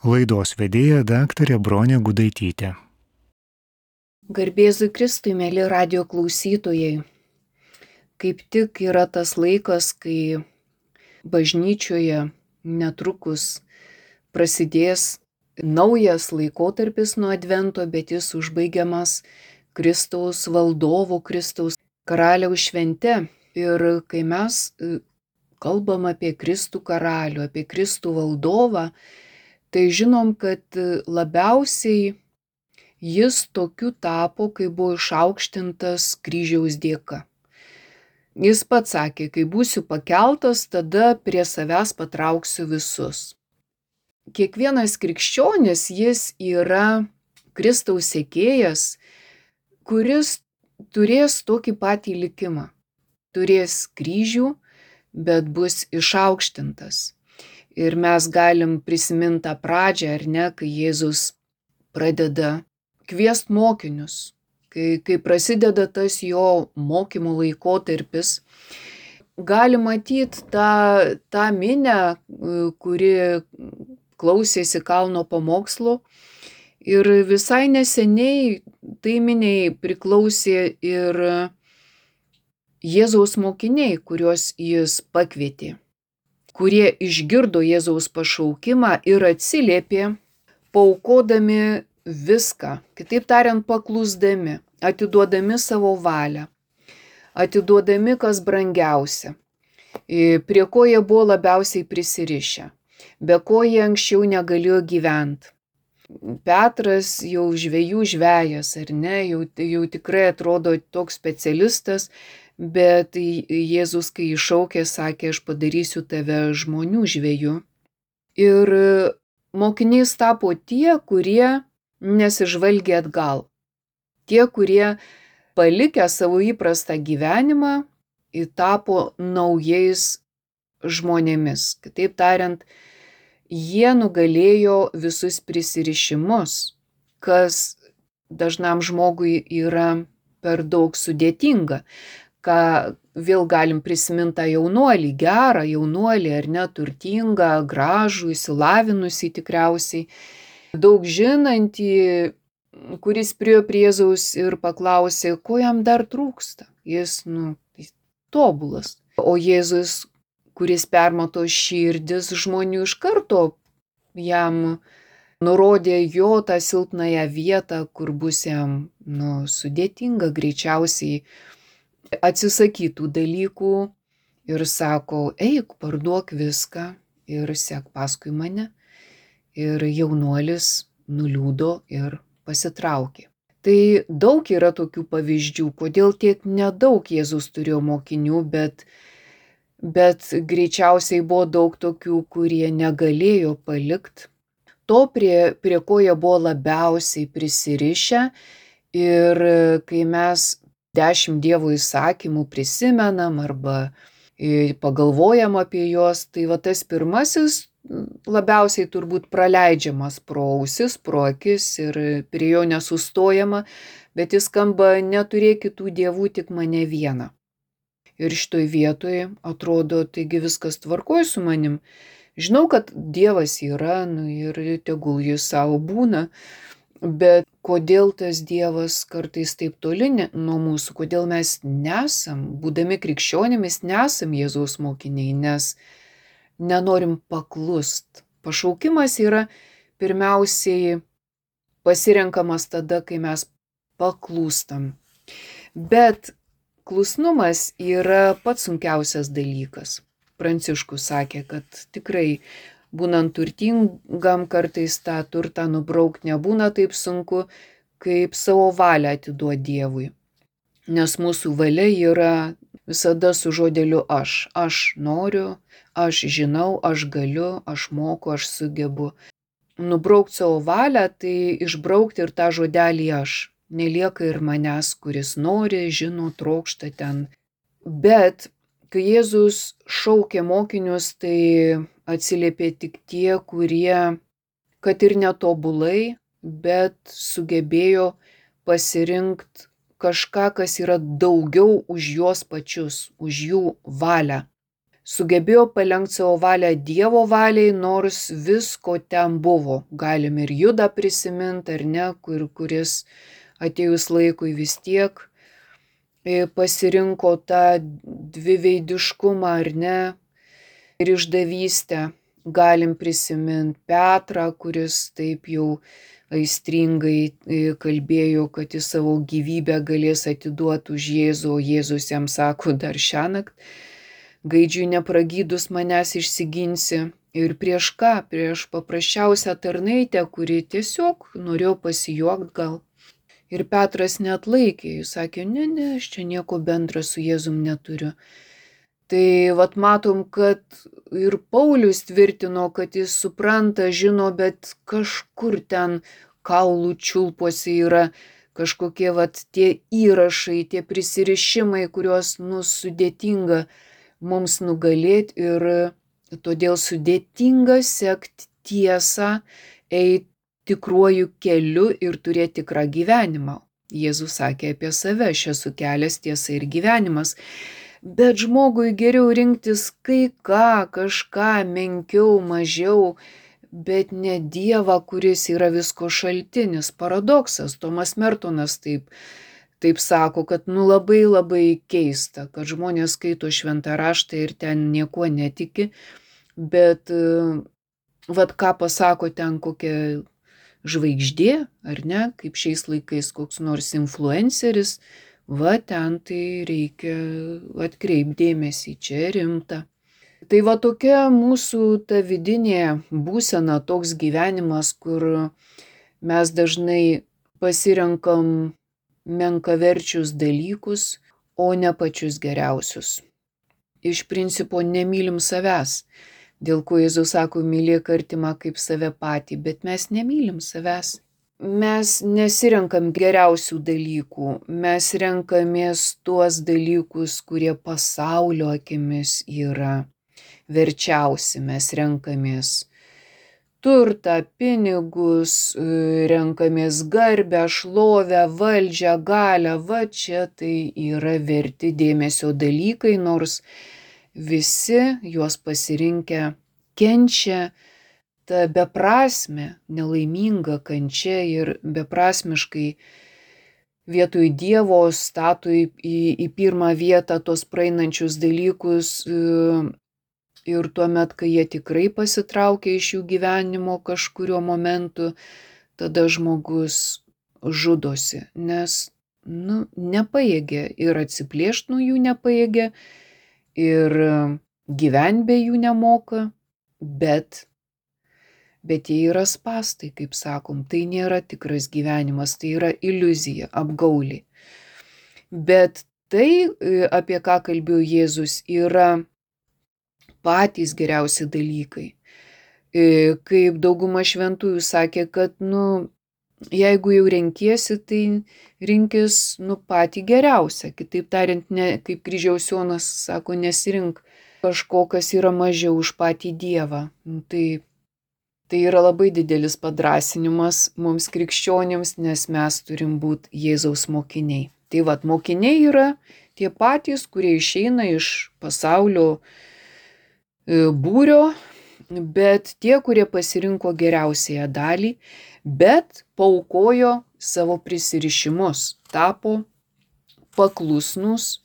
Laidos vedėja daktarė Bronė Gudaitytė. Garbėzui Kristui, mėly radio klausytojai. Kaip tik yra tas laikas, kai bažnyčioje netrukus prasidės naujas laikotarpis nuo Advento, bet jis užbaigiamas Kristaus valdovo, Kristaus karaliaus švente. Ir kai mes kalbam apie Kristų karalių, apie Kristų valdovą, tai žinom, kad labiausiai jis tokiu tapo, kai buvo išaukštintas kryžiaus dėka. Jis pats sakė, kai būsiu pakeltas, tada prie savęs patrauksiu visus. Kiekvienas krikščionis, jis yra Kristaus sekėjas, kuris turės tokį patį likimą. Turės kryžių, bet bus išaukštintas. Ir mes galim prisiminti tą pradžią, ar ne, kai Jėzus pradeda kviest mokinius, kai prasideda tas jo mokymo laikotarpis. Gali matyti tą minią, kuri klausėsi kalno pamokslo. Ir visai neseniai tai miniai priklausė ir Jėzaus mokiniai, kuriuos jis pakvietė, kurie išgirdo Jėzaus pašaukimą ir atsiliepė, paaukodami viską, kitaip tariant, paklusdami, atiduodami savo valią, atiduodami kas brangiausia, prie ko jie buvo labiausiai prisirišę, be ko jie anksčiau negalėjo gyventi. Petras jau žvejų žvejas, ar ne, jau tikrai atrodo toks specialistas, bet Jėzus, kai iššaukė, sakė, aš padarysiu tave žmonių žvejų. Ir mokiniais tapo tie, kurie nesižvalgė atgal. Tie, kurie palikę savo įprastą gyvenimą, tapo naujais žmonėmis. Kitaip tariant, jie nugalėjo visus prisirišimus, kas dažnam žmogui yra per daug sudėtinga. Ką vėl galim prisiminti tą jaunuolį, gerą jaunuolį, ar ne, turtingą, gražų, išsilavinusį tikriausiai, daug žinantį, kuris priėjo prie Jėzaus ir paklausė, ko jam dar trūksta. Jis, tobulas. O Jėzus, kuris permato širdis žmonių, iš karto jam nurodė jo tą silpnąją vietą, kur bus jam, sudėtinga greičiausiai atsisakytų dalykų ir sako, eik, parduok viską ir sek paskui mane. Ir jaunuolis nuliūdo ir pasitraukė. Tai daug yra tokių pavyzdžių, kodėl tiek nedaug Jėzus turėjo mokinių, bet greičiausiai buvo daug tokių, kurie negalėjo palikti to, prie ko jie buvo labiausiai prisirišę. Ir kai mes 10 Dievo įsakymų prisimenam arba pagalvojam apie juos, tai tas pirmasis labiausiai turbūt praleidžiamas pro ausis, pro akis ir prie jo nesustojama, bet jis skamba, neturėk kitų dievų, tik mane vieną. Ir šitoj vietoje atrodo, taigi viskas tvarkoj su manim. Žinau, kad Dievas yra, ir tegul jis savo būna, bet kodėl tas Dievas kartais taip toli nuo mūsų, kodėl mes nesam, būdami krikščionimis, nesam Jėzaus mokiniai, nes nenorim paklust. Pašaukimas yra pirmiausiai pasirenkamas tada, kai mes paklūstam. Bet klusnumas yra pats sunkiausias dalykas. Pranciškus sakė, kad tikrai būnant turtingam kartais tą turtą nubraukt nebūna taip sunku, kaip savo valią atiduoti Dievui. Nes mūsų valia yra visada su žodeliu aš. Aš noriu, aš žinau, aš galiu, aš moku, aš sugebu. Nubraukt savo valią, tai išbraukti ir tą žodelį aš. Nelieka ir manęs, kuris nori, žino, trokšta ten. Bet kai Jėzus šaukė mokinius, tai atsiliepė tik tie, kurie, kad ir netobulai, bet sugebėjo pasirinkti kažką, kas yra daugiau už juos pačius, už jų valią. sugebėjo palenkti savo valią Dievo valiai, nors visko ten buvo. Galim ir Judą prisiminti, ar ne, kuris atėjus laikui vis tiek pasirinko tą dviveidiškumą, ar ne, ir išdavystę. Galim prisiminti Petrą, kuris taip jau aistringai kalbėjo, kad jis savo gyvybę galės atiduoti už Jėzų, o Jėzus jam sako, dar šiąnakt gaidžiui nepragydus manęs išsiginsi. Ir prieš ką? Prieš paprasčiausią tarnaitę, kuri tiesiog norėjo pasijuokti gal. Ir Petras neatlaikė, jis sakė, ne, aš čia nieko bendra su Jėzum neturiu. Tai vat matom, kad ir Paulius tvirtino, kad jis supranta, žino, bet kažkur ten kaulų čiulpuose yra kažkokie vat tie įrašai, tie prisirišimai, kuriuos sudėtinga mums nugalėti ir todėl sudėtinga sekti tiesą, eiti tikruoju keliu ir turėti tikrą gyvenimą. Jėzus sakė apie save, aš esu kelias, tiesa ir gyvenimas. Bet žmogui geriau rinktis kai ką, kažką menkiau, mažiau, bet ne Dievą, kuris yra visko šaltinis. Paradoksas, Tomas Mertonas taip sako, kad labai labai keista, kad žmonės skaito šventą raštą ir ten nieko netiki, bet vat ką pasako ten kokia žvaigždė, ar ne, kaip šiais laikais koks nors influenceris, va ten tai reikia atkreipti dėmesį, čia rimta. Tai va tokia mūsų ta vidinė būsena, toks gyvenimas, kur mes dažnai pasirenkam menkaverčius dalykus, o ne pačius geriausius. Iš principo nemylim savęs, dėl ko Jėzus sako, mylėk artimą kaip save patį, bet mes nemylim savęs. Mes nesirenkam geriausių dalykų, mes renkamės tuos dalykus, kurie pasaulio akimis yra verčiausi. Mes renkamės turtą, pinigus, renkamės garbę, šlovę, valdžią, galią. Va čia tai yra verti dėmesio dalykai, nors visi juos pasirinkę kenčia. Ta beprasmė, nelaiminga kančia ir beprasmiškai vietoj Dievo stato į pirmą vietą tos praeinančius dalykus ir tuomet, kai jie tikrai pasitraukia iš jų gyvenimo kažkurio momentu, tada žmogus žudosi, nes nepajėgia ir atsiplėšti nuo jų nepajėgia ir gyventi be jų nemoka, bet jie yra spąstai, kaip sakom, tai nėra tikras gyvenimas, tai yra iliuzija, apgaulė. Bet tai, apie ką kalbėjo Jėzus, yra patys geriausi dalykai. Kaip dauguma šventųjų sakė, kad, jeigu jau renkiesi, tai rinkis, patį geriausią. Kitaip tariant, ne, kaip Kryžiaus Jonas sako, nesirink kažko, kas yra mažiau už patį Dievą. Tai yra labai didelis padrasinimas mums krikščionims, nes mes turim būti Jėzaus mokiniai. Tai vat, mokiniai yra tie patys, kurie išeina iš pasaulio būrio, bet tie, kurie pasirinko geriausiąją dalį, bet paaukojo savo prisirišimus, tapo paklusnus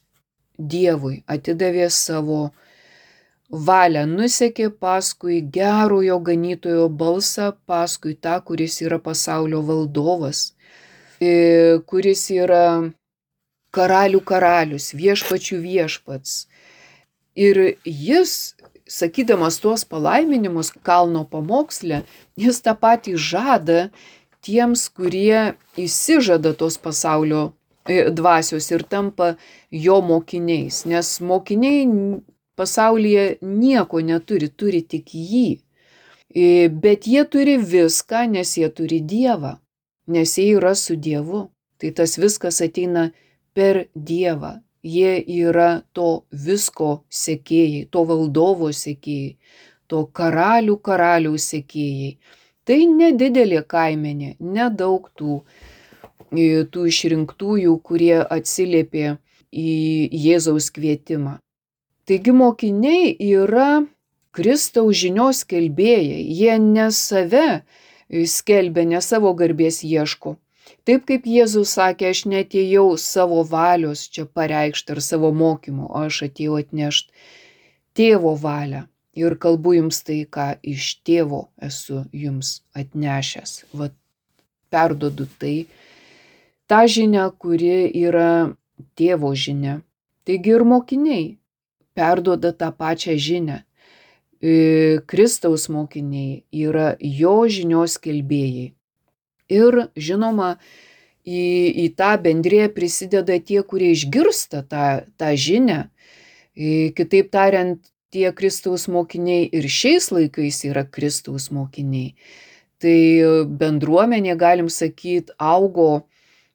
Dievui, atidavė savo valią, nusekė paskui gerojo ganytojo balsą, paskui tą, kuris yra pasaulio valdovas, kuris yra karalių karalius, viešpačių viešpats. Ir jis, sakydamas tuos palaiminimus kalno pamoksle, jis tą patį žada tiems, kurie įsižada tos pasaulio dvasios ir tampa jo mokiniais, nes mokiniai pasaulyje nieko neturi, turi tik jį. Bet jie turi viską, nes jie turi Dievą, nes jie yra su Dievu. Tai tas viskas ateina per Dievą. Jie yra to visko sekėjai, to valdovo sekėjai, to karaliaus sekėjai. Tai nedidelė kaimenė, nedaug tų išrinktųjų, kurie atsiliepė į Jėzaus kvietimą. Taigi mokiniai yra Kristaus žinios skelbėjai, jie ne save skelbia, ne savo garbės ieško. Taip kaip Jėzus sakė, aš neatėjau savo valios čia pareikšti ar savo mokymo, o aš atėjau atnešti tėvo valią. Ir kalbu jums tai, ką iš tėvo esu jums atnešęs. Vat perduodu tai, tą žinią, kuri yra tėvo žinia. Taigi ir mokiniai perduoda tą pačią žinią. Kristaus mokiniai yra jo žinios skelbėjai. Ir žinoma, į tą bendriją prisideda tie, kurie išgirsta tą žinią. Kitaip tariant, tie Kristaus mokiniai ir šiais laikais yra Kristaus mokiniai. Tai bendruomenė, galim sakyti, augo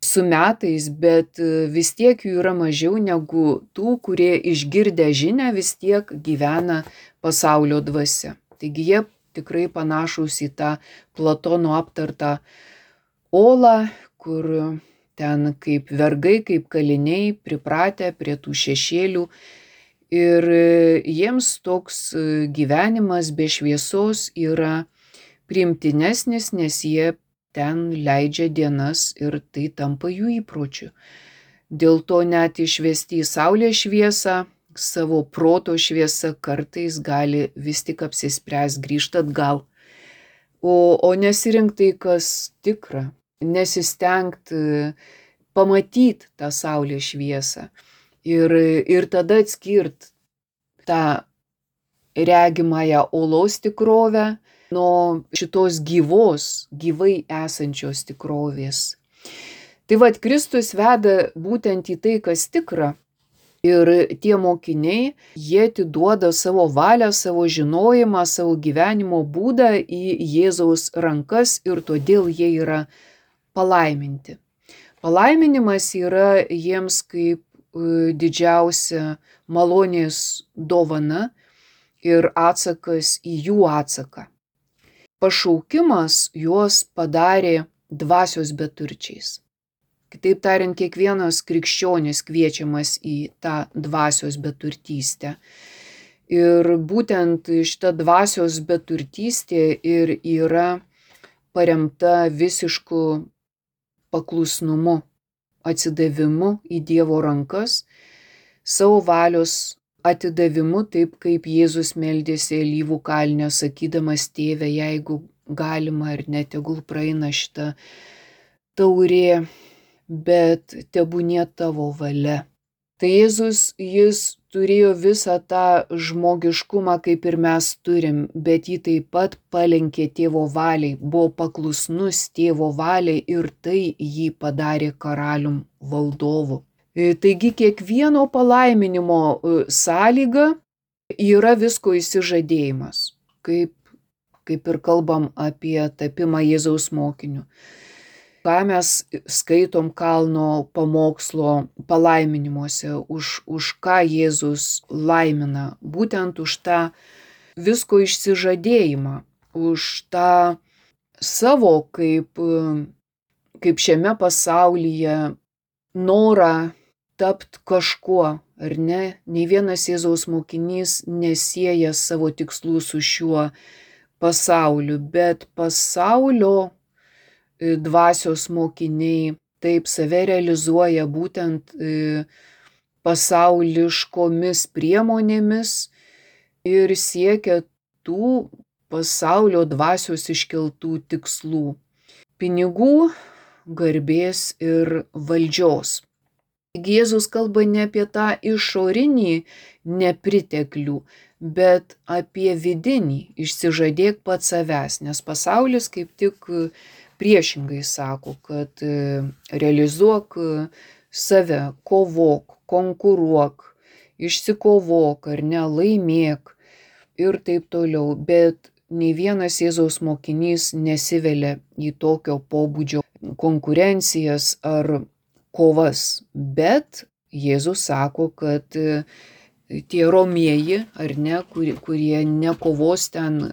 su metais, bet vis tiek jų yra mažiau negu tų, kurie išgirdę žinią vis tiek gyvena pasaulio dvasia. Taigi jie tikrai panašūs į tą Platono aptartą olą, kur ten kaip vergai, kaip kaliniai pripratę prie tų šešėlių. Ir jiems toks gyvenimas be šviesos yra priimtinesnis, nes jie ten leidžia dienas ir tai tampa jų įpročiu. Dėl to net išvesti į saulės šviesą, savo proto šviesą kartais gali vis tik apsispręs grįžti atgal. O nesirinkti tai, kas tikra, nesistengt pamatyti tą saulės šviesą ir tada atskirt tą regimąją olos tikrovę nuo šitos gyvai esančios tikrovės. Tai vat Kristus veda būtent į tai, kas tikra. Ir tie mokiniai, jie atiduoda savo valią, savo žinojimą, savo gyvenimo būdą į Jėzaus rankas ir todėl jie yra palaiminti. Palaiminimas yra jiems kaip didžiausia malonės dovana ir atsakas į jų atsaką. Pašaukimas juos padarė dvasios beturčiais. Kitaip tariant, kiekvienas krikščionis kviečiamas į tą dvasios beturtystę. Ir būtent šita dvasios beturtystė ir yra paremta visišku paklusnumu, atsidavimu į Dievo rankas, savo valios atidavimu, taip kaip Jėzus meldėsi Alyvų kalne, sakydamas: Tėve, jeigu galima ir ne, tegul praeina šita taurė, bet tebūnie tavo valia. Tai Jėzus, jis turėjo visą tą žmogiškumą, kaip ir mes turim, bet jį taip pat palenkė tėvo valiai, buvo paklusnus tėvo valiai ir tai jį padarė karalium valdovu. Taigi kiekvieno palaiminimo sąlyga yra visko išsižadėjimas, kaip ir kalbam apie tapimą Jėzaus mokiniu. Ką mes skaitom kalno pamokslo palaiminimuose, už ką Jėzus laimina, būtent už tą visko išsižadėjimą, už tą savo kaip šiame pasaulyje norą tapt kažkuo, ar ne? Nei vienas Jėzaus mokinys nesieja savo tikslų su šiuo pasauliu, bet pasaulio dvasios mokiniai taip save realizuoja būtent pasauliškomis priemonėmis ir siekia tų pasaulio dvasios iškeltų tikslų – pinigų, garbės ir valdžios. Jėzus kalba ne apie tą išorinį nepriteklių, bet apie vidinį, išsižadėk pats savęs, nes pasaulis kaip tik priešingai sako, kad realizuok save, kovok, konkuruok, išsikovok ar ne, laimėk ir taip toliau. Bet nei vienas Jėzaus mokinys nesivelia į tokio pobūdžio konkurencijas ar kovas. Bet Jėzus sako, kad tie romieji, ar ne, kurie nekovos ten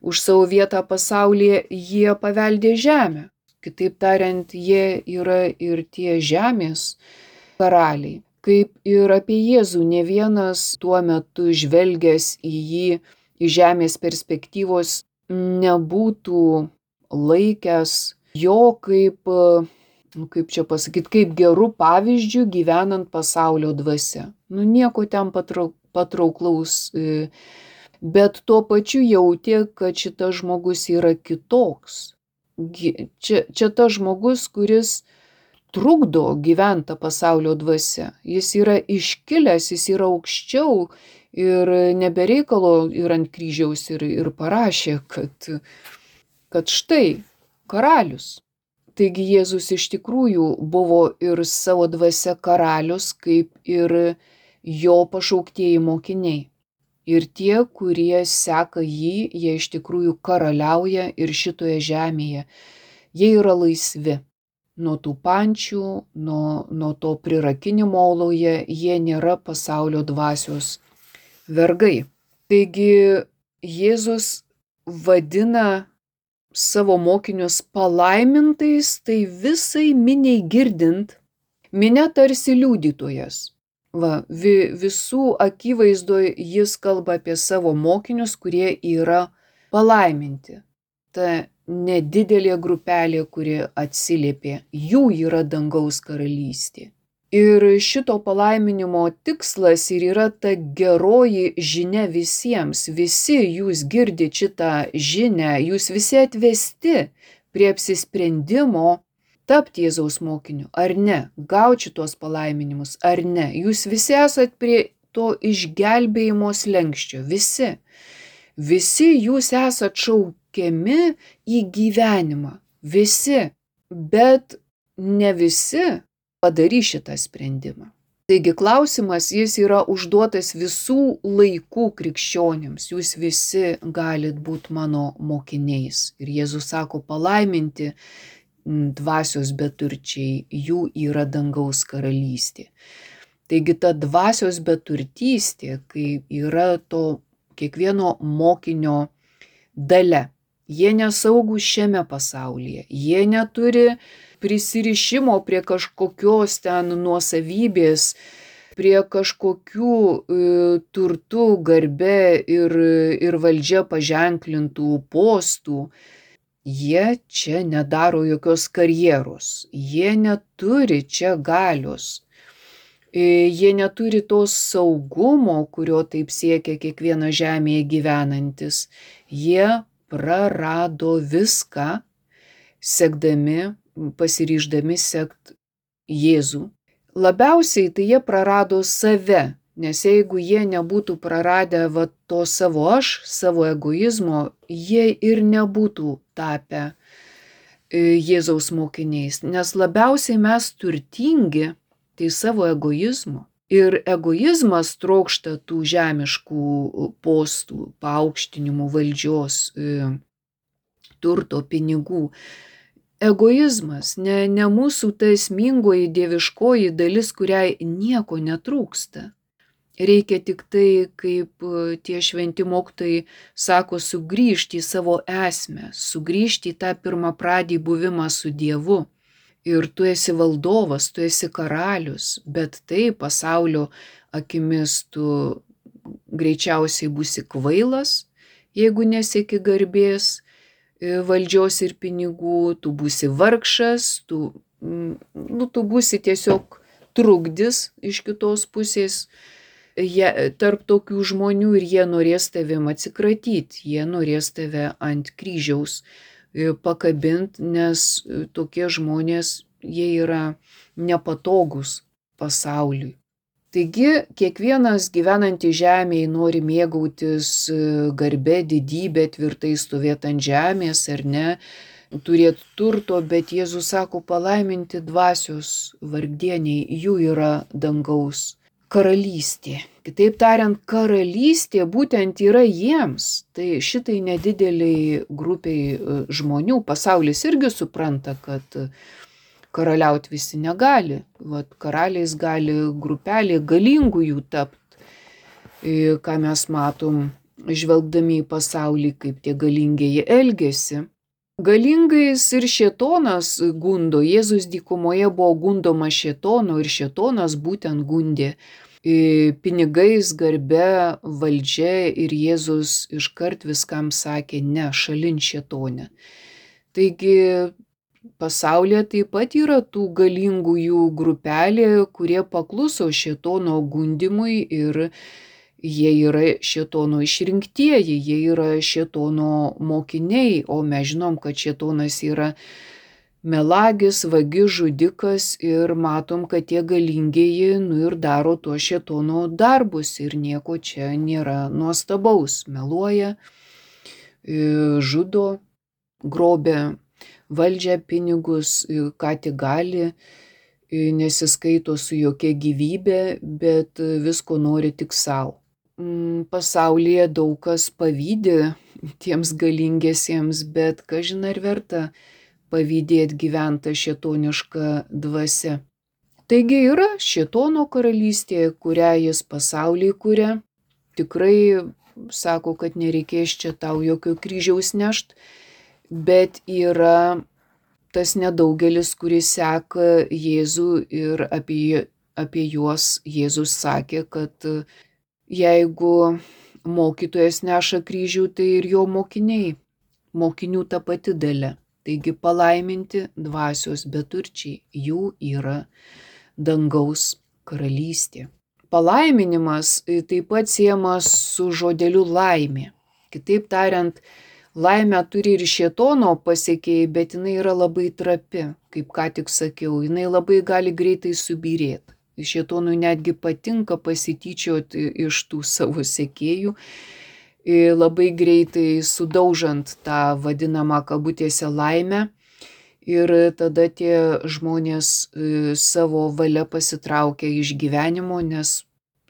už savo vietą pasaulyje, jie paveldė žemę. Kitaip tariant, jie yra ir tie žemės karaliai. Kaip ir apie Jėzų, ne vienas tuo metu žvelgęs į jį iš žemės perspektyvos nebūtų laikęs jo kaip čia pasakyti, kaip gerų pavyzdžių gyvenant pasaulio dvasia. Nieko ten patrauklaus, bet tuo pačiu jautė, kad šitas žmogus yra kitoks. Čia tas žmogus, kuris trukdo gyventi pasaulio dvasia. Jis yra iškilęs, jis yra aukščiau ir nebereikalo ir ant kryžiaus ir parašė, kad štai karalius. Taigi Jėzus iš tikrųjų buvo ir savo dvasia karalius, kaip ir jo pašauktieji mokiniai. Ir tie, kurie seka jį, jie iš tikrųjų karaliauja ir šitoje žemėje. Jie yra laisvi. Nuo tų pančių, nuo to prirakinimo oloje, jie nėra pasaulio dvasios vergai. Taigi Jėzus vadina savo mokinius palaimintais, tai visai miniai girdint, minia tarsi liudytojas. Visų akivaizdoje jis kalba apie savo mokinius, kurie yra palaiminti. Ta nedidelė grupelė, kuri atsiliepė, jų yra dangaus karalystė. Ir šito palaiminimo tikslas ir yra ta geroji žinia visiems. Visi jūs girdite šitą žinią, jūs visi atvesti prie apsisprendimo tapti Jėzaus mokiniu, ar ne, gauti šitos palaiminimus, ar ne. Jūs visi esat prie to išgelbėjimo slenksčio, visi. Visi jūs esat šaukiami į gyvenimą, visi, bet ne visi padarys šitą sprendimą. Taigi klausimas, jis yra užduotas visų laikų krikščionims. Jūs visi galit būti mano mokiniais. Ir Jėzus sako, palaiminti dvasios beturčiai, jų yra dangaus karalystė. Taigi ta dvasios beturtystė, kai yra to kiekvieno mokinio dalia. Jie nesaugūs šiame pasaulyje, jie neturi prisirišimo prie kažkokios ten nuosavybės, prie kažkokių turtų, garbė ir valdžia paženklintų postų. Jie čia nedaro jokios karjeros, jie neturi čia galios, jie neturi to saugumo, kurio taip siekia kiekviena žemėje gyvenantis. Jie prarado viską, sekdami, pasiryždami sekt Jėzų. Labiausiai tai jie prarado save, nes jeigu jie nebūtų praradę to savo aš, savo egoizmo, jie ir nebūtų tapę Jėzaus mokiniais, nes labiausiai mes turtingi tai savo egoizmo. Ir egoizmas trokšta tų žemiškų postų, paaukštinimų, valdžios, turto, pinigų. Egoizmas, ne mūsų ta esmingoji dieviškoji dalis, kuriai nieko netrūksta. Reikia tik tai, kaip tie šventi mokytojai sako, sugrįžti į savo esmę, sugrįžti į tą pirmapradį buvimą su Dievu. Ir tu esi valdovas, tu esi karalius, bet tai pasaulio akimis tu greičiausiai būsi kvailas, jeigu nesieki garbės, valdžios ir pinigų, tu būsi vargšas, tu būsi tiesiog trukdis iš kitos pusės. Tarp tokių žmonių ir jie norės tavim atsikratyti, jie norės tave ant kryžiaus pakabinti, nes tokie žmonės, jie yra nepatogus pasauliui. Taigi, kiekvienas gyvenantis žemėje nori mėgautis garbė, didybė, tvirtai stovėti ant žemės ar ne, turėti turto, bet Jėzus sako, palaiminti dvasios vargdieniai, jų yra dangaus karalystė. Kitaip tariant, karalystė būtent yra jiems. Tai šitai nedideliai grupiai žmonių. Pasaulis irgi supranta, kad karaliauti visi negali. Karaliais gali grupelė galingųjų tapti. Ką mes matom, žvelgdami į pasaulį, kaip tie galingieji elgiasi. Galingais ir šėtonas gundo. Jėzus dykumoje buvo gundomas šėtono ir šėtonas būtent gundė pinigais, garbe, valdžia ir Jėzus iškart viskam sakė ne, šalin šėtonę. Taigi pasaulyje taip pat yra tų galingųjų grupelė, kurie pakluso šėtono gundimui ir jie yra šėtono išrinktieji, jie yra šėtono mokiniai, o mes žinom, kad šėtonas yra melagis, vagis, žudikas ir matom, kad tie galingieji ir daro tuo šėtono darbus ir nieko čia nėra nuostabaus. Meluoja, žudo, grobia valdžią, pinigus, ką tik gali, nesiskaito su jokia gyvybė, bet visko nori tik savo. Pasaulyje daug kas pavydi tiems galingiesiems, bet kažin ar verta pavydėti gyventą šėtonišką dvasią. Taigi yra šėtono karalystė, kurią jis pasaulyje kuria. Tikrai sako, kad nereikės čia tau jokio kryžiaus nešt, bet yra tas nedaugelis, kuris seka Jėzų ir apie juos Jėzus sakė, kad jeigu mokytojas neša kryžių, tai ir jo mokiniai, mokinių ta pati dalia. Taigi palaiminti dvasios beturčiai, jų yra dangaus karalystė. Palaiminimas taip pat siejamas su žodeliu laimė. Kitaip tariant, laimę turi ir šėtono pasekėjai, bet jinai yra labai trapi, kaip ką tik sakiau, jinai labai gali greitai subyrėti. Šėtonui netgi patinka pasityčioti iš tų savo sekėjų, labai greitai sudaužant tą vadinamą kabutėse laimę ir tada tie žmonės savo valia pasitraukia iš gyvenimo, nes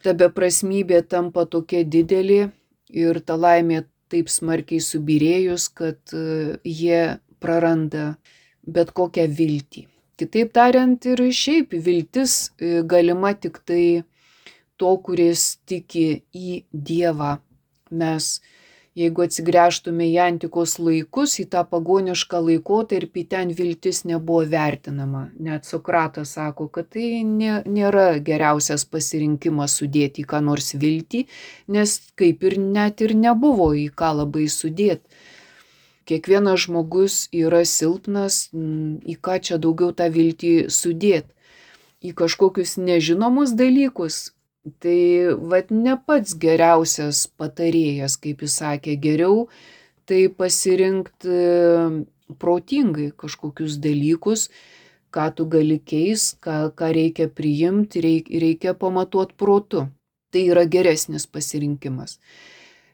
ta beprasmybė tampa tokia didelė ir ta laimė taip smarkiai subyrėjus, kad jie praranda bet kokią viltį. Kitaip tariant, ir šiaip viltis galima tik tai to, kuris tiki į Dievą. Mes, jeigu atsigręžtume į antikos laikus, į tą pagonišką laikotarpį, ten viltis nebuvo vertinama. Net Sokratas sako, kad tai nėra geriausias pasirinkimas sudėti į ką nors viltį, nes kaip ir net ir nebuvo į ką labai sudėti. Kiekvienas žmogus yra silpnas, į ką čia daugiau tą viltį sudėti, į kažkokius nežinomus dalykus. Tai ne pats geriausias patarėjas, kaip jis sakė, geriau tai pasirinkti protingai kažkokius dalykus, ką tu gali keisti, ką reikia priimti, reikia pamatuoti protu. Tai yra geresnis pasirinkimas.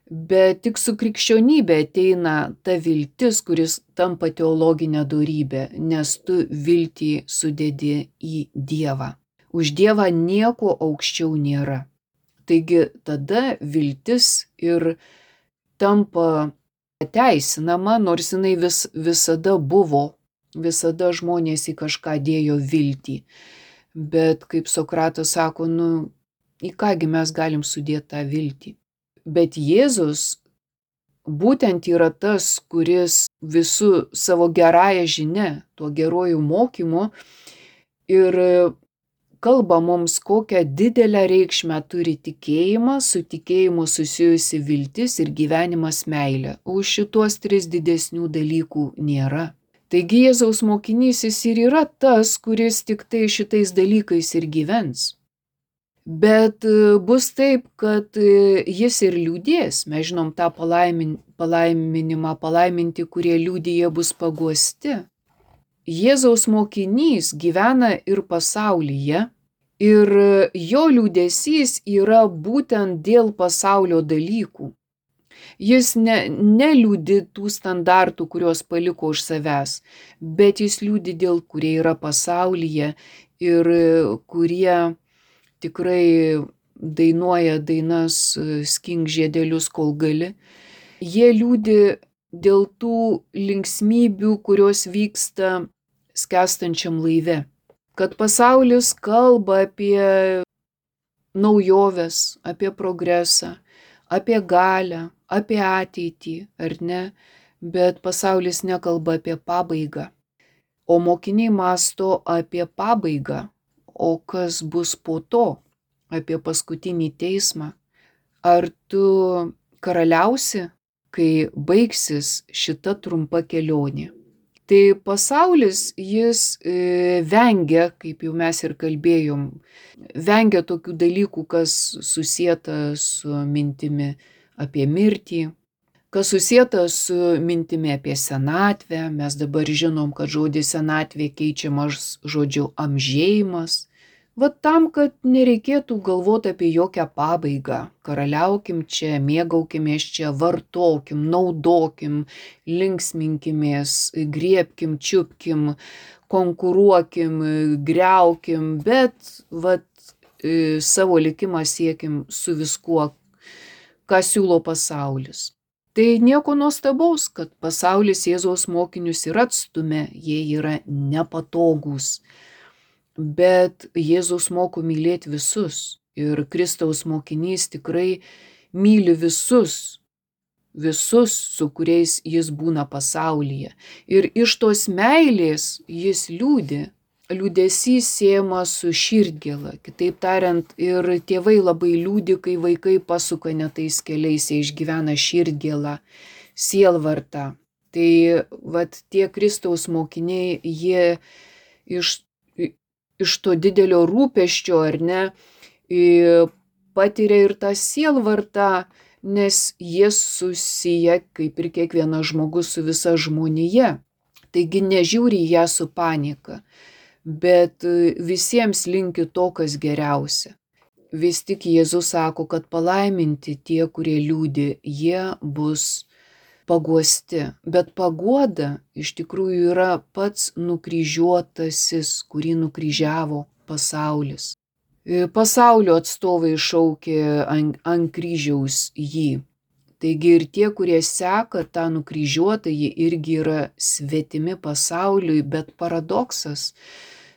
Bet tik su krikščionybė ateina ta viltis, kuris tampa teologinė dorybė, nes tu viltį sudedi į Dievą. Už Dievą nieko aukščiau nėra. Taigi tada viltis ir tampa teisinama, nors jinai visada buvo, visada žmonės į kažką dėjo viltį. Bet kaip Sokratas sako, į kągi mes galim sudėti tą viltį. Bet Jėzus būtent yra tas, kuris visų savo gerąją žinę, tuo geruoju mokymu ir kalba mums, kokią didelę reikšmę turi tikėjimas, su tikėjimu susijusi viltis ir gyvenimas meilė. Už šitos 3 didesnių dalykų nėra. Taigi Jėzaus mokinys jis ir yra tas, kuris tik tai šitais dalykais ir gyvens. Bet bus taip, kad jis ir liūdės. Mes žinom tą palaiminimą, palaiminti, kurie liūdėje bus paguosti. Jėzaus mokinys gyvena ir pasaulyje ir jo liūdesys yra būtent dėl pasaulio dalykų. Jis neliūdi tų standartų, kuriuos paliko už savęs, bet jis liūdi dėl, kurie yra pasaulyje ir kurie tikrai dainuoja dainas skink žiedelius, kol gali. Jie liūdi dėl tų linksmybių, kurios vyksta skęstančiam laive. Kad pasaulis kalba apie naujoves, apie progresą, apie galią, apie ateitį, ar ne? bet pasaulis nekalba apie pabaigą. O mokiniai mąsto apie pabaigą, o kas bus po to, apie paskutinį teismą. Ar tu karaliausi, kai baigsis šita trumpa kelionė? Tai pasaulis, jis vengia, kaip jau mes ir kalbėjom, vengia tokių dalykų, kas susieta su mintimi apie mirtį, kas susieta su mintimi apie senatvę. Mes dabar žinom, kad žodis senatvė keičiamas žodžiu amžėjimas. Vat tam, kad nereikėtų galvoti apie jokią pabaigą. Karaliaukim čia, mėgaukimės čia, vartokim, naudokim, linksminkimės, griebkim, čiupkim, konkuruokim, griaukim, bet savo likimą siekim su viskuo, ką siūlo pasaulis. Tai nieko nuostabaus, kad pasaulis Jėzaus mokinius ir atstumia, jie yra nepatogūs. Bet Jėzus moko mylėti visus ir Kristaus mokinys tikrai myli visus, su kuriais jis būna pasaulyje. Ir iš tos meilės jis liūdi. Liūdesys siejamas su širdgėla. Kitaip tariant, ir tėvai labai liūdi, kai vaikai pasuka ne tais keliais, jie išgyvena širdgėlą, sielvartą. Tai tie Kristaus mokiniai, jie iš to didelio rūpesčio, ar ne, patiria ir tą sielvartą, nes jie susiję, kaip ir kiekvienas žmogus, su visa žmonija. Taigi nežiūri ją su panika, bet visiems linki to, kas geriausia. Vis tik Jėzus sako, kad palaiminti tie, kurie liūdi, jie bus paguosti. Bet paguoda iš tikrųjų yra pats nukryžiuotasis, kurį nukryžiavo pasaulis. Pasaulio atstovai šaukė ant kryžiaus jį. Taigi ir tie, kurie seka tą nukryžiuotą, jie irgi yra svetimi pasauliui, bet paradoksas.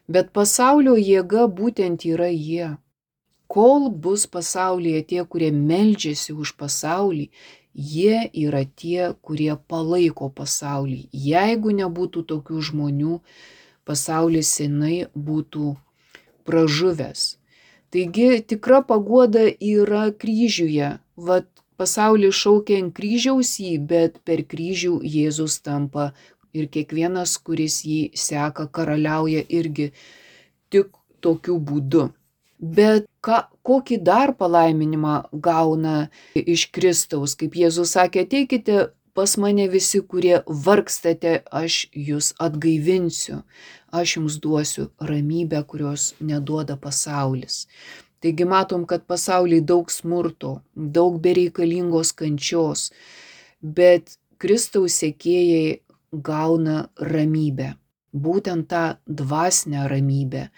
Bet pasaulio jėga būtent yra jie. Kol bus pasaulyje tie, kurie meldžiasi už pasaulį, jie yra tie, kurie palaiko pasaulį. Jeigu nebūtų tokių žmonių, pasaulis senai būtų pražuvęs. Taigi tikra paguoda yra kryžiuje. Pasaulis šaukia ant kryžiaus jį, bet per kryžių Jėzus tampa ir kiekvienas, kuris jį seka, karaliauja irgi tik tokiu būdu. Bet kokį dar palaiminimą gauna iš Kristaus? Kaip Jėzus sakė, ateikite pas mane visi, kurie vargstate, aš jūs atgaivinsiu, aš jums duosiu ramybę, kurios neduoda pasaulis. Taigi matom, kad pasaulyje daug smurto, daug bereikalingos kančios, bet Kristaus sekėjai gauna ramybę, būtent tą dvasinę ramybę.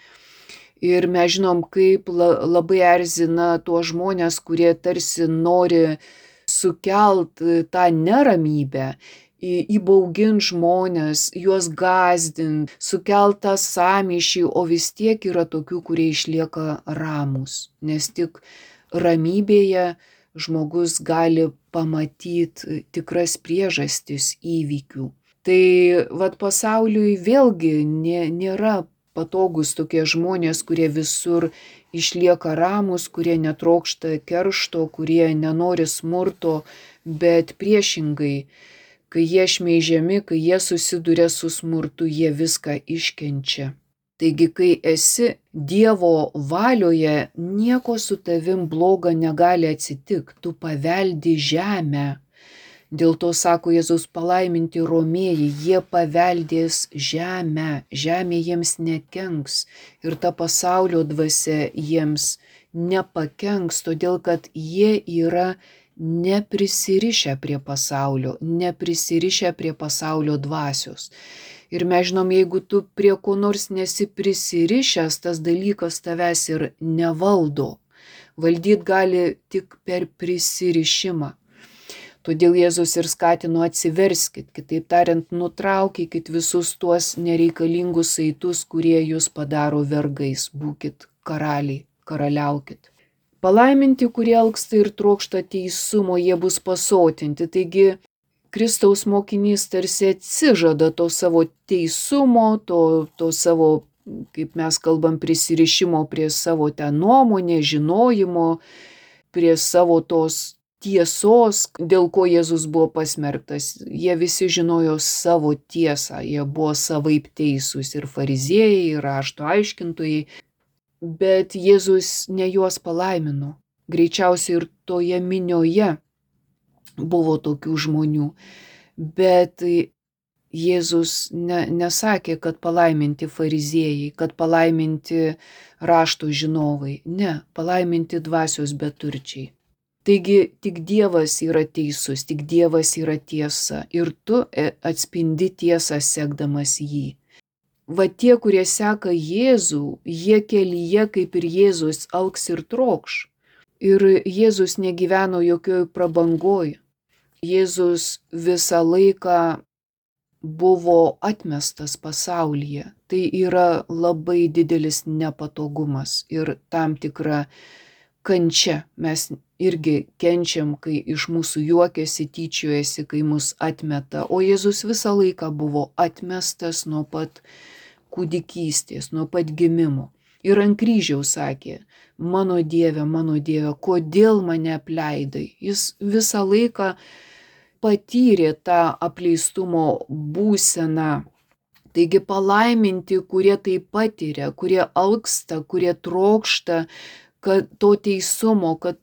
Ir mes žinom, kaip labai erzina tuos žmonės, kurie tarsi nori sukelt tą neramybę, įbaugint žmonės, juos gąsdint, sukelt tą sąmyšį, o vis tiek yra tokių, kurie išlieka ramūs, nes tik ramybėje žmogus gali pamatyti tikras priežastis įvykių. Tai pasauliui vėlgi nėra patogus tokie žmonės, kurie visur išlieka ramūs, kurie netrokšta keršto, kurie nenori smurto, bet priešingai, kai jie šmeižiami, kai jie susiduria su smurtu, jie viską iškenčia. Taigi, kai esi Dievo valioje, nieko su tavim bloga negali atsitikti, tu paveldi žemę. Dėl to sako Jėzus, palaiminti romėjai, jie paveldės žemę, žemė jiems nekenks ir ta pasaulio dvasia jiems nepakenks, todėl kad jie yra neprisirišę prie pasaulio, neprisirišę prie pasaulio dvasios. Ir mes žinom, jeigu tu prie ko nors nesi prisirišęs, tas dalykas tavęs ir nevaldo. Valdyt gali tik per prisirišimą. Todėl Jėzus ir skatino atsiverskit, kitaip tariant, nutraukykit visus tuos nereikalingus saitus, kurie jūs padaro vergais, būkit karaliai, karaliaukit. Palaiminti, kurie alksta ir trokšta teisumo, jie bus pasotinti. Taigi Kristaus mokinys tarsi atsižada to savo teisumo, to savo, kaip mes kalbam, prisirišimo prie savo ten nuomonės, žinojimo, prie savo tos tiesos, dėl ko Jėzus buvo pasmerktas. Jie visi žinojo savo tiesą, jie buvo savaip teisūs, ir fariziejai, ir rašto aiškintojai, bet Jėzus ne juos palaimino. Greičiausiai ir toje minioje buvo tokių žmonių, bet Jėzus nesakė, kad palaiminti fariziejai, kad palaiminti rašto žinovai, ne, palaiminti dvasios beturčiai. Taigi tik Dievas yra teisus, tik Dievas yra tiesa ir tu atspindi tiesą sekdamas jį. Va tie, kurie seka Jėzų, jie kelyje kaip ir Jėzus augs ir trokš. Ir Jėzus negyveno jokioj prabangoj. Jėzus visą laiką buvo atmestas pasaulyje. Tai yra labai didelis nepatogumas ir tam tikra kančia. Mes irgi kenčiam, kai iš mūsų juokiasi, tyčiojasi, kai mus atmeta. O Jėzus visą laiką buvo atmestas nuo pat kūdikystės, nuo pat gimimo. Ir ant kryžiaus sakė, mano Dieve, kodėl mane apleidai? Jis visą laiką patyrė tą apleistumo būseną. Taigi palaiminti, kurie tai patiria, kurie alksta, kurie trokšta, kad to teisumo, kad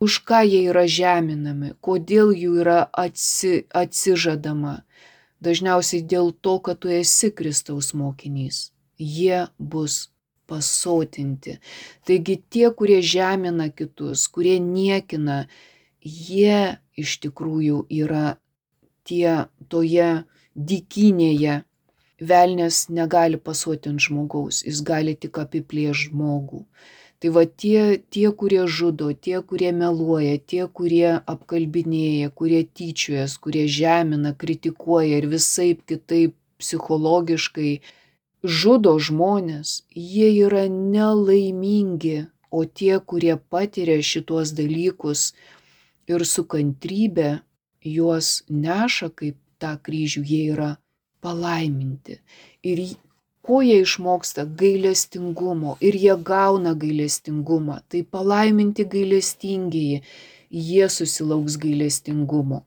už ką jie yra žeminami, kodėl jų yra atsižadama. Dažniausiai dėl to, kad tu esi Kristaus mokinys. Jie bus pasotinti. Taigi tie, kurie žemina kitus, kurie niekina, jie iš tikrųjų yra tie toje dykynėje. Velnias negali pasotinti žmogaus, jis gali tik apiplėšti žmogų. Tai va tie, kurie žudo, tie, kurie meluoja, tie, kurie apkalbinėja, kurie tyčiojas, kurie žemina, kritikuoja ir visaip kitaip psichologiškai žudo žmonės, jie yra nelaimingi, o tie, kurie patiria šitos dalykus ir su kantrybė juos neša kaip tą kryžių, jie yra palaiminti. Ir ko jie išmoksta? Gailestingumo. Ir jie gauna gailestingumą. Tai palaiminti gailestingieji, jie susilauks gailestingumo.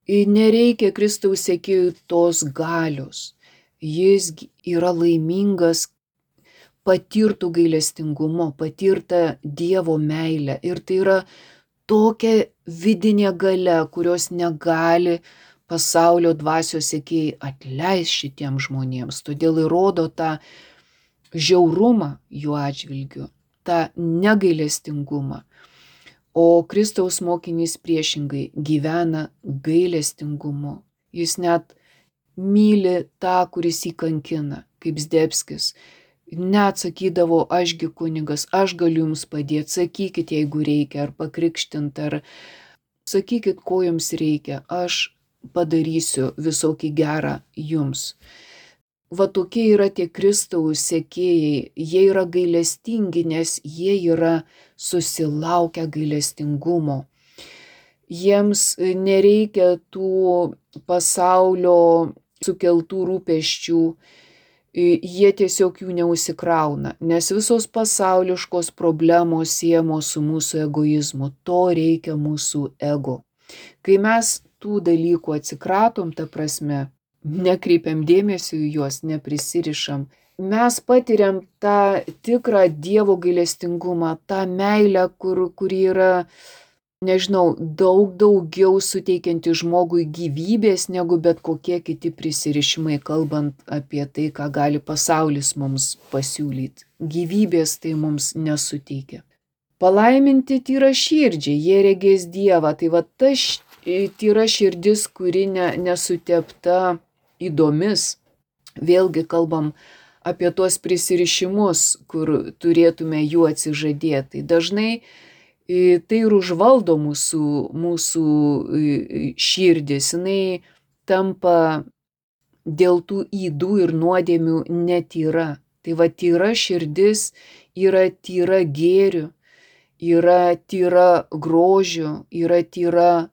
Ir nereikia Kristaus sekėjų tos galios. Jis yra laimingas patirtų gailestingumo, patirtą Dievo meilę. Ir tai yra tokia vidinė galia, kurios negali pasaulio dvasios sekėjai atleis šitiems žmonėms. Todėl įrodo tą žiaurumą jų atžvilgiu, tą negailestingumą. O Kristaus mokinys priešingai gyvena gailestingumu. Jis net myli tą, kuris jį kankina, kaip Zdebskis. Net sakydavo, ašgi kunigas, aš galiu jums padėti, sakykit, jeigu reikia, ar pakrikštint, ar sakykit, ko jums reikia, aš padarysiu visokį gerą jums. Va tokie yra tie Kristaus sekėjai, jie yra gailestingi, nes jie yra susilaukę gailestingumo. Jiems nereikia tų pasaulio sukeltų rūpesčių, jie tiesiog jų neužsikrauna, nes visos pasauliškos problemos siejamos su mūsų egoizmu, to reikia mūsų ego. Kai mes tų dalykų atsikratom, ta prasme, nekreipiam dėmesio į juos, neprisirišam, mes patiriam tą tikrą Dievo gailestingumą, tą meilę, kuri yra, nežinau, daug daugiau suteikianti žmogui gyvybės negu bet kokie kiti prisirišimai, kalbant apie tai, ką gali pasaulis mums pasiūlyti. Gyvybės tai mums nesuteikia. Palaiminti tyra širdžiai, jie regės Dievą. Tai va ta tyra širdis, kuri nesutepta įdomis. Vėlgi kalbam apie tuos prisirišimus, kur turėtume jų atsižadėti. Dažnai tai ir užvaldo mūsų širdis. Jinai tampa dėl tų ydų ir nuodėmių netyra. Tai va tyra širdis yra tyra gėriu, yra tyra grožiu, yra tyra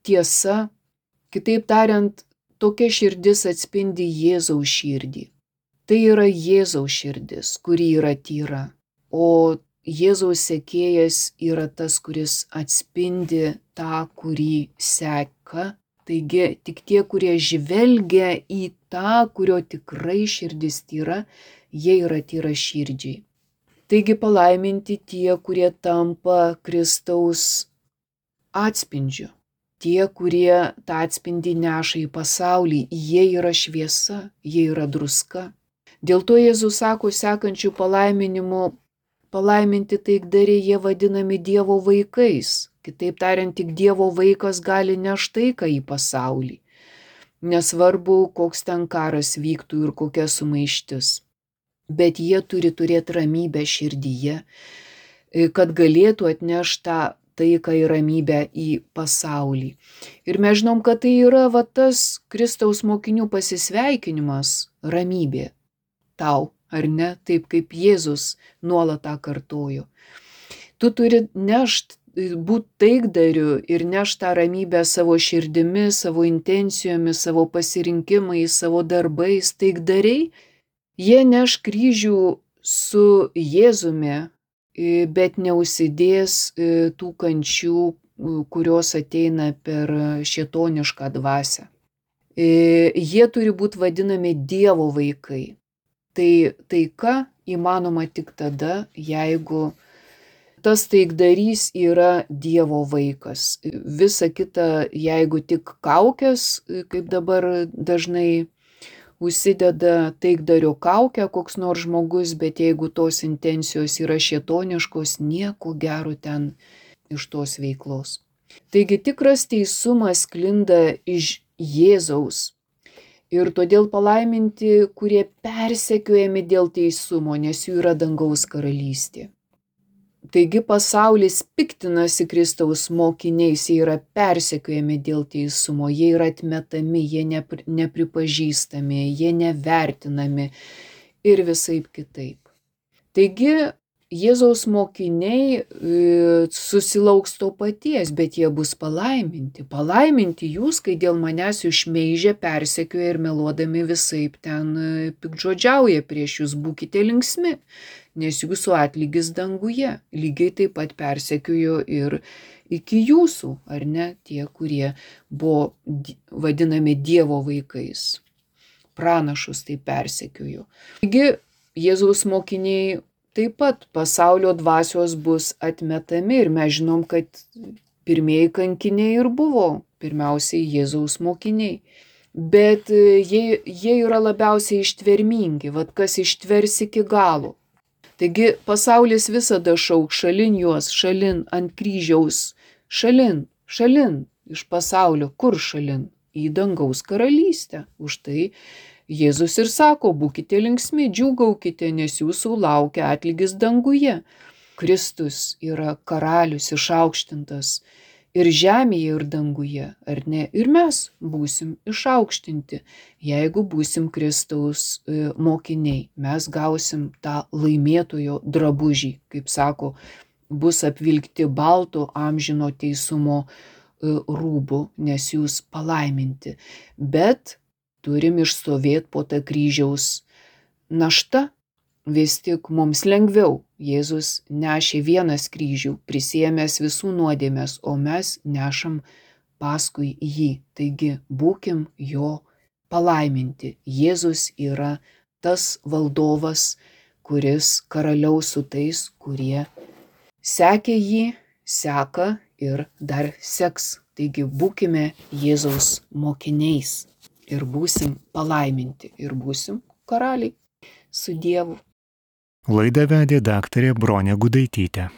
tiesa, Kitaip tariant, tokia širdis atspindi Jėzaus širdį. Tai yra Jėzaus širdis, kuri yra tyra, o Jėzaus sekėjas yra tas, kuris atspindi tą, kurį seka. Taigi tik tie, kurie žvelgia į tą, kurio tikrai širdis tyra, jie yra tyra širdžiai. Taigi palaiminti tie, kurie tampa Kristaus atspindžiu. Tie, kurie tą atspindį neša į pasaulį, jie yra šviesa, jie yra druska. Dėl to Jėzus sako sekančių palaiminimų, palaiminti taikdariai jie vadinami Dievo vaikais. Kitaip tariant, tik Dievo vaikas gali nešti taiką į pasaulį. Nesvarbu, koks ten karas vyktų ir kokia sumaištis. Bet jie turi turėti ramybę širdyje, kad galėtų atnešti tą taiką ir ramybę į pasaulį. Ir mes žinom, kad tai yra tas Kristaus mokinių pasisveikinimas, ramybė tau, ar ne, taip kaip Jėzus nuolat tą kartojo. Tu turi nešti, būti taikdariu ir nešti tą ramybę savo širdimi, savo intencijomis, savo pasirinkimais, savo darbais. Taikdariai, jie neš kryžių su Jėzumi, bet neužsidės tų kančių, kurios ateina per šėtonišką dvasią. Jie turi būti vadinami Dievo vaikai. Tai taika įmanoma tik tada, jeigu tas taikdarys yra Dievo vaikas. Visa kita, jeigu tik kaukės, kaip dabar dažnai užsideda taikdario kaukę koks nors žmogus, bet jeigu tos intencijos yra šėtoniškos, nieko gero ten iš tos veiklos. Taigi tikras teisumas sklinda iš Jėzaus. Ir todėl palaiminti, kurie persekiojami dėl teisumo, nes jų yra dangaus karalystė. Taigi pasaulis piktinasi Kristaus mokiniais, jie yra persekiojami dėl teisumo, jie yra atmetami, jie nepripažįstami, jie nevertinami ir visaip kitaip. Taigi Jėzaus mokiniai susilauks to paties, bet jie bus palaiminti. Palaiminti jūs, kai dėl manęs jūs šmeižia, persekioja ir meluodami visaip ten piktžodžiauja prieš jūs, būkite linksmi, nes jūsų atlygis danguje. Lygiai taip pat persekiojo ir iki jūsų, ar ne, tie, kurie buvo vadinami Dievo vaikais. Pranašus tai persekiojo. Taigi Jėzaus mokiniai taip pat pasaulio dvasios bus atmetami ir mes žinom, kad pirmieji kankiniai ir buvo pirmiausiai Jėzaus mokiniai. Bet jie yra labiausiai ištvermingi, kas ištvers iki galo. Taigi pasaulis visada šauk šalin juos, šalin ant kryžiaus, šalin iš pasaulio, kur šalin? Į dangaus karalystę. Už tai Jėzus ir sako, būkite linksmi, džiūgaukite, nes jūsų laukia atlygis danguje. Kristus yra karalius išaukštintas ir žemėje, ir danguje, ar ne? Ir mes būsim išaukštinti, jeigu būsim Kristaus mokiniai. Mes gausim tą laimėtojo drabužį, kaip sako, bus apvilkti balto amžino teisumo rūbų, nes jūs palaiminti. Bet turim išstovėti po tą kryžiaus naštą. Vis tik mums lengviau. Jėzus nešė vienas kryžių, prisiėmęs visų nuodėmes, o mes nešam paskui jį. Taigi būkim jo palaiminti. Jėzus yra tas valdovas, kuris karaliaus su tais, kurie sekė jį, seka ir dar seks. Taigi būkime Jėzaus mokiniais. Ir būsim palaiminti, ir būsim karaliai su Dievu. Laidą vedė daktarė Bronė Gudaitytė.